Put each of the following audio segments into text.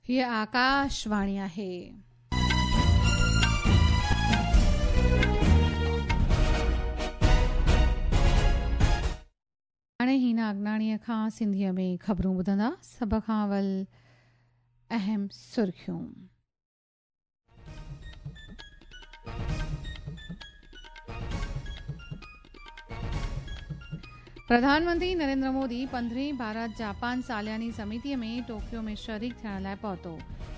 हीअ आकाशवाणी आहे। हाणे हिना अगनाणीअ खां सिंधीअ में ख़बरूं ॿुधंदा। सभ खां अवल अहम सुर्खियूं। प्रधानमंत्री नरेंद्र मोदी 15वीं भारत जापान सालियानी समितीअ में टोक्यो में शरीक थियण लाइ पहुतो।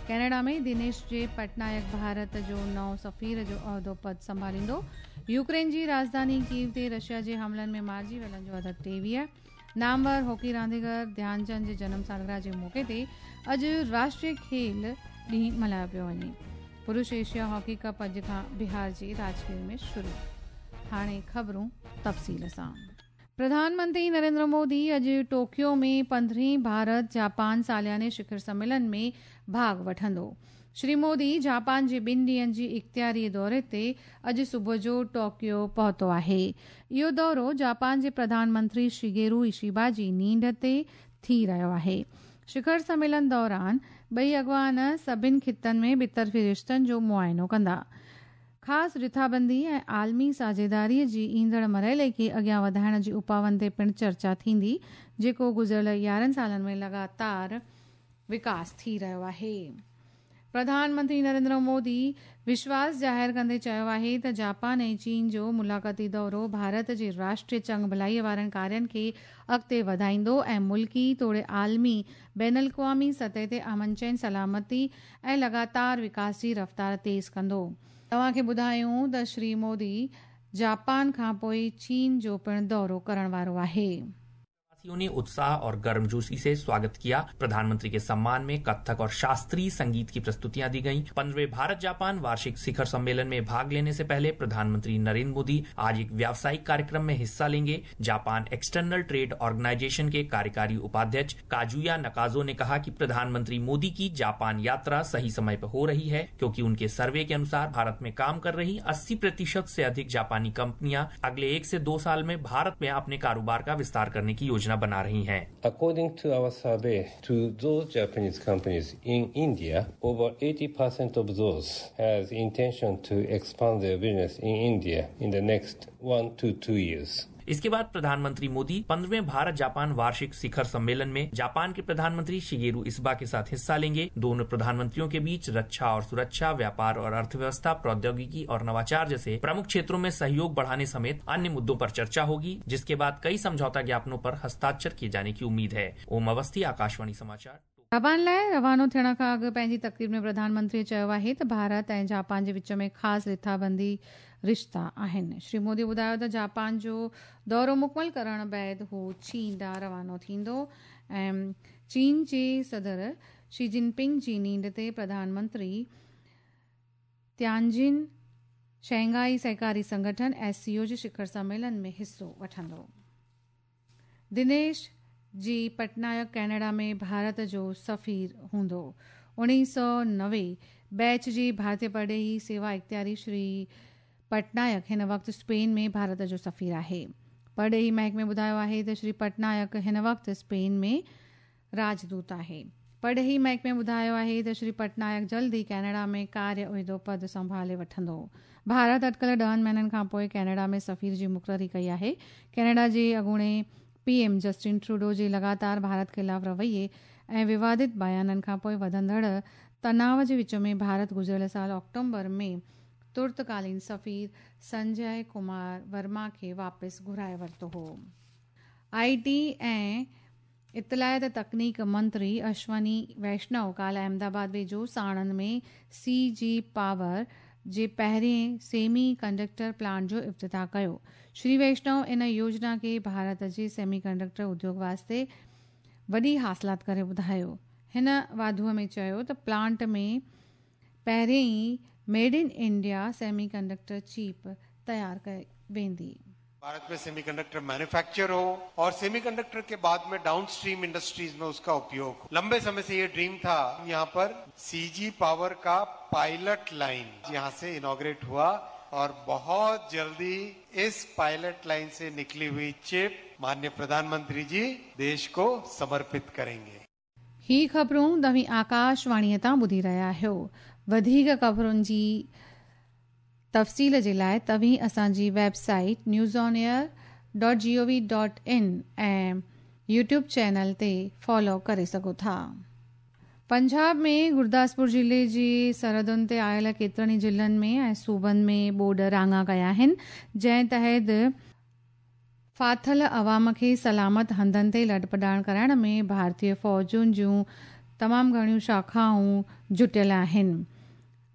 कनाडा में दिनेश जे पटनायक भारत जो नओं सफ़ीर जो उहिदो पद संभालींदो। यूक्रेन जी राजधानी कीव ते रशिया जे हमलनि में मारिजी वियलनि जो अदद 23। नामवर हॉकी रांदीगर ध्यानचंद जे जनम सालगिरह जे मौक़े ते अॼु राष्ट्रीय खेल ॾींहुं मल्हायो पियो वञे। पुरुष एशिया हॉकी कप अॼु खां बिहार जे राजगीर में शुरू। हाणे ख़बरूं तफ़सील सां। प्रधानमंत्री नरेंद्र मोदी अॼु टोक्यो में 15वीं भारत जापान सालियाने शिखर सम्मेलन में भाॻ वठंदो। श्री मोदी जापान जे 2 ॾींहंनि जी इख़्तियारी दौरे ते अॼु सुबुह जो टोक्यो पहुतो आहे। इहो दौरो जापान जे प्रधानमंत्री शिगेरू इशिबा जी नींड ते थी रहियो आहे। शिखर सम्मेलन दौरान ॿई अॻवान सभिनी ख़ितनि में ॿितरफ़ी रिश्तनि जो मुआइनो कंदा। ख़ासि रिथाबंदी ऐं आलमी साझेदारीअ जी ईंदड़ मरहले खे अॻियां वधाइण जी उपाउनि ते पिणु चर्चा थींदी, जेको गुज़िरियल 11 सालनि में लगातार विकास थी रहियो आहे। प्रधानमंत्री नरेंद्र मोदी विश्वास ज़ाहिर कंदे चयो आहे त जापान ऐं चीन जो मुलाक़ाती दौरो भारत जे राष्ट्रीय चंग भलाई वारनि कार्यनि खे अॻिते वधाईंदो ऐं मुल्की तोड़े आलमी बैनुल अक़वामी सतह ते अमन चैन, सलामती ऐं लगातार विकास जी रफ़्तार तेज़ कंदो। तव्हांखे ॿुधायूं त श्री मोदी जापान खां पोइ चीन जो पिणु दौरो करण वारो आहे। वासियों ने उत्साह और गर्मजोशी से स्वागत किया। प्रधानमंत्री के सम्मान में कथक और शास्त्रीय संगीत की प्रस्तुतियां दी गईं। 15वें भारत जापान वार्षिक शिखर सम्मेलन में भाग लेने से पहले प्रधानमंत्री नरेंद्र मोदी आज एक व्यावसायिक कार्यक्रम में हिस्सा लेंगे। जापान एक्सटर्नल ट्रेड ऑर्गेनाइजेशन के कार्यकारी उपाध्यक्ष काजुया नकाजो ने कहा कि प्रधानमंत्री मोदी की जापान यात्रा सही समय पर हो रही है, क्योंकि उनके सर्वे के अनुसार भारत में काम कर रही 80% से अधिक जापानी कंपनियां अगले 1 से 2 साल में भारत में अपने कारोबार का विस्तार करने की योजना बना रही हैं। According to our survey to those Japanese companies in India, over 80% of those has intention to expand their business in India in the next 1 to 2 years. इसके बाद प्रधानमंत्री मोदी 15वें भारत जापान वार्षिक शिखर सम्मेलन में जापान के प्रधानमंत्री शिगेरू इशिबा के साथ हिस्सा लेंगे। दोनों प्रधानमंत्रियों के बीच रक्षा और सुरक्षा, व्यापार और अर्थव्यवस्था, प्रौद्योगिकी और नवाचार जैसे प्रमुख क्षेत्रों में सहयोग बढ़ाने समेत अन्य मुद्दों पर चर्चा होगी, जिसके बाद कई समझौता ज्ञापनों पर हस्ताक्षर किए जाने की उम्मीद है। ओम अवस्थी, आकाशवाणी समाचार। जापान लाइ रवानो थियण खां अॻु पंहिंजी तक़रीब में प्रधानमंत्री चयो आहे त भारत ऐं जापान जे विच में ख़ासि रिथाबंदी रिश्ता आहिनि। श्री मोदी ॿुधायो त जापान जो दौरो मुकमल करण बाद हू चीन ॾांहुं रवानो थींदो ऐं चीन जे सदर शी जिनपिंग जी नींड ते प्रधानमंत्री तियानजिन शंघाई सहकारी संगठन SCO जे शिखर सम्मेलन में हिसो वठंदो। दिनेश जी पटनायक कनाडा में भारत जो सफ़ीर हूंदो। 1990 बैच जी भारतीय परॾेही सेवा इख़्तियारी श्री पटनायक हिन वक़्तु स्पेन में भारत जो सफ़ीर आहे। परॾेही महकमे ॿुधायो आहे त श्री पटनायक हिन वक़्तु स्पेन में राजदूत आहे। परॾेही महकमे ॿुधायो आहे त श्री पटनायक जल्द ई कनाडा में कार्य उहिदो पद संभाले वठंदो। भारत अटकल 10 महीननि खां पोइ कनाडा में सफ़ीर जी मुक़ररी कई आहे। कनाडा जे अॻूणे PM Justin Trudeau जे लगातार भारत ख़िलाफ़ रवैये ऐं विवादित बयाननि खां पोइ वधंदड़ तनाव जे विच में भारत गुज़िरियल साल अक्टूबर में तुर्तकालीन सफ़ीर संजय कुमार वर्मा खे वापसि घुराए वरितो हो। IT ऐं इतलायत तकनीक मंत्री अश्वनी वैष्णव काल्ह अहमदाबाद वेझो साणंद में CG power जे पहिरें सेमी कंडक्टर प्लांट जो इफ्तिताह कयो। श्री वैष्णव इन योजना खे भारत जे सेमी कंडक्टर उद्योग वास्ते वॾी हासिलात करे ॿुधायो। हिन वाधूअ में चयो त प्लांट में पहिरें ई made in India semiconductor chip तयार कई वेंदी। भारत में सेमीकंडक्टर मैन्युफैक्चर हो और सेमीकंडक्टर के बाद में डाउन स्ट्रीम इंडस्ट्रीज में उसका उपयोग हो। लंबे समय से ये ड्रीम था। यहाँ पर CG power का पायलट लाइन यहाँ से इनॉग्रेट हुआ और बहुत जल्दी इस पायलट लाइन से निकली हुई चिप माननीय प्रधानमंत्री जी देश को समर्पित करेंगे। ही ख़बरूं तव्हीं आकाशवाणीअ तां ॿुधी रहिया आहियो। वधीक ख़बरुनि जी तफ़सील जे लाइ तव्हीं असांजी website newsonair.gov.in ऐं यूट्यूब चैनल ते फॉलो करे सघो था। पंजाब में गुरदासपुर ज़िले जी सरहदुनि ते आयल केतिरनि ई ज़िलनि में ऐं सूबनि में ॿोॾ राङा कया आहिनि, जंहिं तहत फाथल अवाम खे सलामत हंधनि ते लॾपॾाण कराइण में भारतीय फ़ौजुनि जूं तमामु घणियूं शाखाऊं जुटियल आहिनि।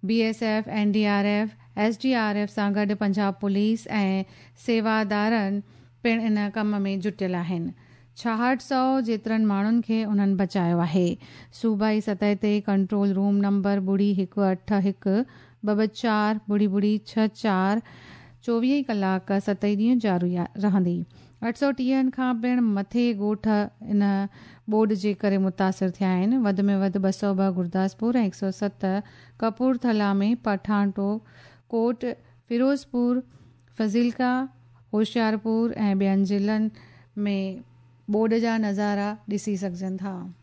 बीएसएफ, एनडीआरएफ, एसडीआरएफ सां गॾु पंजाब पुलिस ऐं सेवादारनि पिणु इन कम में जुटियल आहिनि। 6600 जेतिरनि माण्हुनि खे उन्हनि बचायो आहे। सूबाई सतह ते कंट्रोल रूम नंबर 0181 224 2 264 24 कलाक 7 ॾींहं जारी रहंदी। 830 खां पिणु मथे ॻोठ इन ॿोॾ जे करे मुतासिर थिया आहिनि। वधि में वधि 202 गुरदासपुर ऐं 107 कपूरथला में पठानकोट, फिरोज़पुर, फज़िल्का, होशियारपुर ऐं ॿियनि ज़िलनि में ॿोॾ जा नज़ारा ॾिसी सघजनि था।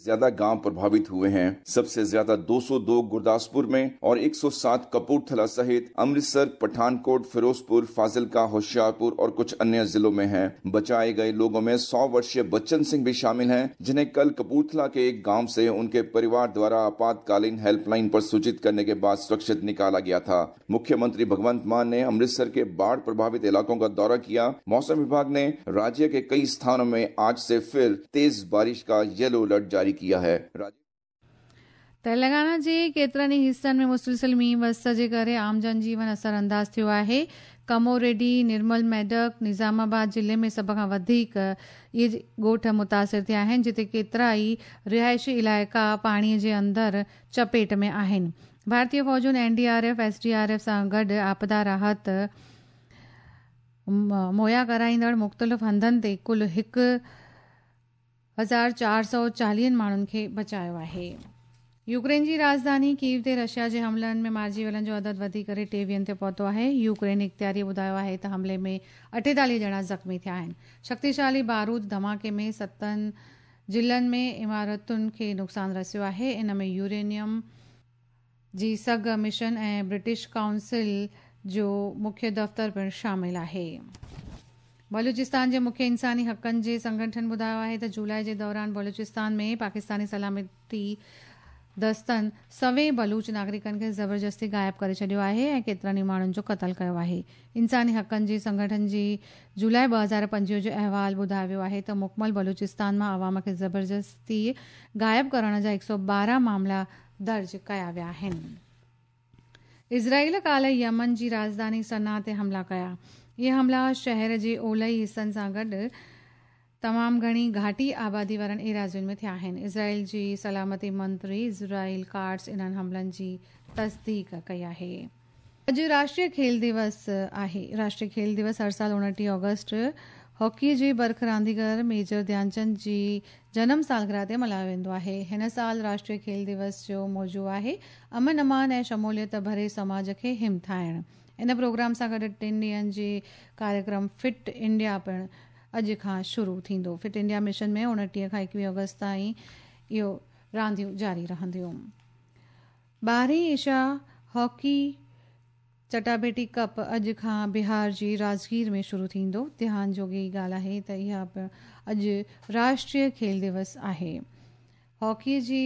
ज्यादा गांव प्रभावित हुए हैं। सबसे ज्यादा 202 गुरदासपुर में और 107 कपूरथला सहित अमृतसर, पठानकोट, फिरोजपुर, फाजिलका, होशियारपुर और कुछ अन्य जिलों में हैं। बचाए गए लोगों में 100 वर्षीय बच्चन सिंह भी शामिल हैं, जिन्हें कल कपूरथला के एक गांव से उनके परिवार द्वारा आपातकालीन हेल्पलाइन पर सूचित करने के बाद सुरक्षित निकाला गया था। मुख्यमंत्री भगवंत मान ने अमृतसर के बाढ़ प्रभावित इलाकों का दौरा किया। मौसम विभाग ने राज्य के कई स्थानों में आज से फिर तेज बारिश का येलो अलर्ट जारी किया है। तेलंगाना जे केतिरनि ई हिसनि में मुसलसिल मींहुं वस जे करे आम जनजीवन असर अंदाज़ थियो आहे। कमोरेड्डी, निर्मल मेडक, निज़ामाबाद ज़िले में सभ खां वधीक इहे ॻोठ मुतासिर थिया आहिनि, जिते केतिरा ई रिहाइशी इलाइक़ा पाणीअ जे अंदरि चपेट में आहिनि। भारतीय फ़ौजुनि एनडीआरएफ, एसडीआरएफ सां गॾु आपदा राहत मुहैया कराईंदड़ मुख़्तलिफ़ हंधनि ते कुल 1440 माण्हुनि खे बचायो आहे। यूक्रेन जी राजधानी कीव ते रशिया जे हमलनि में मारिजी वियलनि जो अदद वधी करे 23 ते पहुतो आहे। यूक्रेन इख़्तियारी ॿुधायो आहे त हमले में 48 ॼणा ज़ख़्मी थिया आहिनि। शक्तिशाली बारूद धमाके में 7 ज़िलनि में इमारतुनि खे नुक़सानु रसियो आहे। इन में यूरेनियम जी सघ मिशन ऐं ब्रिटिश काउंसिल जो मुख्य दफ़्तर पिणु शामिल आहे। बलूचिस्तान जे मुख्य इंसानी हक़नि जे संगठन ॿुधायो आहे त जुलाई जे दौरान बलूचिस्तान में पाकिस्तानी सलामती दस्तनि सवें बलूच नागरिकनि खे ज़बरदस्ती ग़ायब करे छॾियो आहे ऐं केतिरनि ई माण्हुनि जो क़तलु कयो आहे। इंसानी हक़नि जे संगठन जी जुलाई 2025 जो अहवाल ॿुधायो वियो आहे त मुकमल बलूचिस्तान मां अवाम खे ज़बरदस्ती ग़ायब करण जा 112 मामला दर्ज कया विया आहिनि। इज़राइल काल्ह यमन जी राजधानी सना ते हमला कया। इहे हमला शहर जे ओलही हिसनि सां गॾु तमामु घणी घाटी आबादी वारनि एराज़ियुनि में थिया आहिनि। इज़राइल जी सलामती मंत्री इज़राइल कार्ट्स इन्हनि हमलनि जी तस्दीक कई आहे। अॼु राष्ट्रीय खेल दिवस आहे। राष्ट्रीय खेल दिवस हर साल 29 ऑगस्ट हॉकी जे बर्ख रांदीगर मेजर ध्यानचंद जी जनम सालगिरह ते मल्हायो वेंदो आहे। हिन साल राष्ट्रीय खेल दिवस जो मौज़ू आहे अमन अमान ऐं शमूलियत भरे समाज खे हिमथाइण। इन प्रोग्राम सां गॾु 3 ॾींहनि जे कार्यक्रम फिट इंडिया पिणु अॼु खां शुरू थींदो। फिट इंडिया मिशन में 29 खां 21 अगस्त ताईं इहो रांदियूं जारी रहंदियूं। 12वीं एशिया हॉकी चटाभेटी कप अॼु खां बिहार जी राजगीर में शुरू थींदो। ध्यान जोगी ॻाल्हि आहे त इहा पिणु अॼु राष्ट्रीय खेल दिवस आहे। हॉकी जी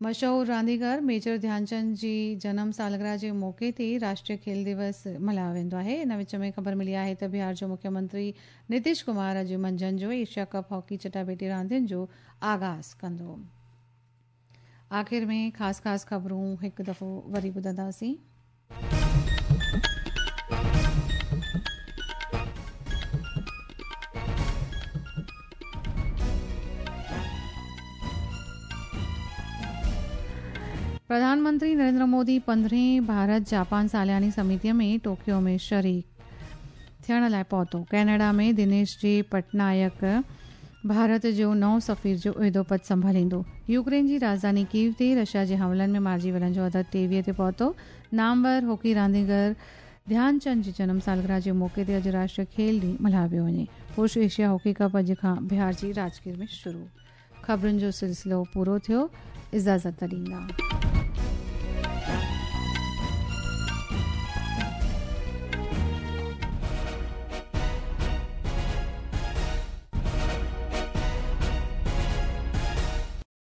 मशहूर रांदीगर मेजर ध्यानचंद जी जनम सालगिरह जे मौक़े ते राष्ट्रीय खेल दिवस मल्हायो वेंदो आहे। इन विच में ख़बर मिली आहे त बिहार जो मुख्यमंत्री नीतीश कुमार अॼु मंझंदि जो एशिया कप हॉकी चटाभेटी रांदियुनि जो आगाज़ कंदो। आख़िर में ख़ासि ख़ासि ख़बरूं हिकु दफ़ो वरी ॿुधंदासीं। प्रधानमंत्री नरेंद्र मोदी 15 भारत जापान सालियानी समितीअ में टोक्यो में शरीक थियण लाइ पहुतो। कनाडा में दिनेश जे पटनायक भारत जो नओं सफ़ीर जो उहिदो पद संभालींदो। यूक्रेन जी राजधानी कीव ते रशिया जे हमलनि में मारिजी वियलनि जो अदद 23 ते पहुतो। नामवर हॉकी रांदीगर ध्यानचंद जी जनम सालगिरह जे मौक़े ते अॼु राष्ट्रीय खेल ॾींहुं मल्हायो पियो वञे। पुरुष एशिया हॉकी कप अॼु खां बिहार जी राजगीर में शुरू। ख़बरुनि जो सिलसिलो पूरो थियो। इजाज़त ॾींदा।